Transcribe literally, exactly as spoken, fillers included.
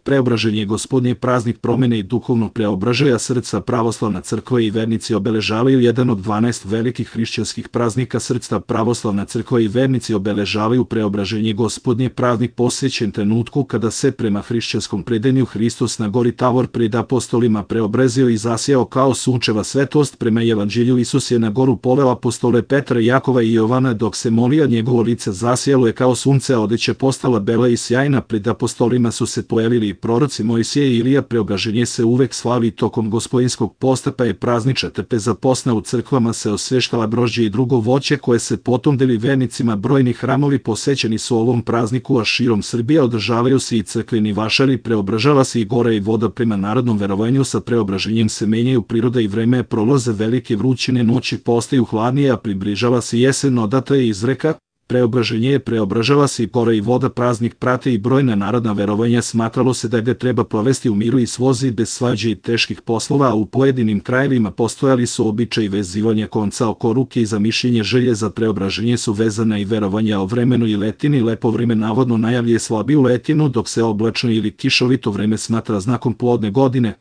Preobraženje Gospodnje praznik promene i duhovnog preobražaja srca. Pravoslavna crkva i vernici obeležavaju jedan od dvanaest velikih hrišćanskih praznika srca. Pravoslavna crkva i vernici obeležavaju Preobraženje Gospodnje praznik posvećen trenutku kada se prema hrišćanskom predanju Hristos na gori Tavor pred apostolima preobrazio i zasjao kao sunčeva svetlost. Prema evanđelju Isus je na goru poveo apostole Petra, Jakova i Jovana, dok se molio, njegovo lice zasjalo je kao sunce, a odeća postala bela i sjajna. Pred apostolima su se pojavili proroci Mojsije i Ilija. Preobraženje se uvek slavi tokom gospodinskog posta, pa je praznična trpeza posna. U crkvama se osveštava grožđe i drugo voće koje se potom deli vernicima. Brojni hramovi posvećeni su ovom prazniku, a širom Srbije održavaju se i crkveni vašari. Preobražava se i gora i voda. Prema narodnom verovanju sa preobraženjem se menjaju priroda i vreme, prolaze velike vrućine, noći postaju hladnije, a približava se jesen. Odatle je izreka: Preobraženje je, preobražava se i gora i voda. Praznik prate i brojna narodna verovanja. Smatralo se da ga treba provesti u miru i slozi, bez svađe i teških poslova, a u pojedinim krajevima postojali su običaji vezivanja konca oko ruke i za mišljenje. Želje za preobraženje su vezana i verovanja o vremenu i letini. Lepo vreme navodno najavljuje slabiju letinu, dok se oblačno ili kišovito vreme smatra znakom plodne godine.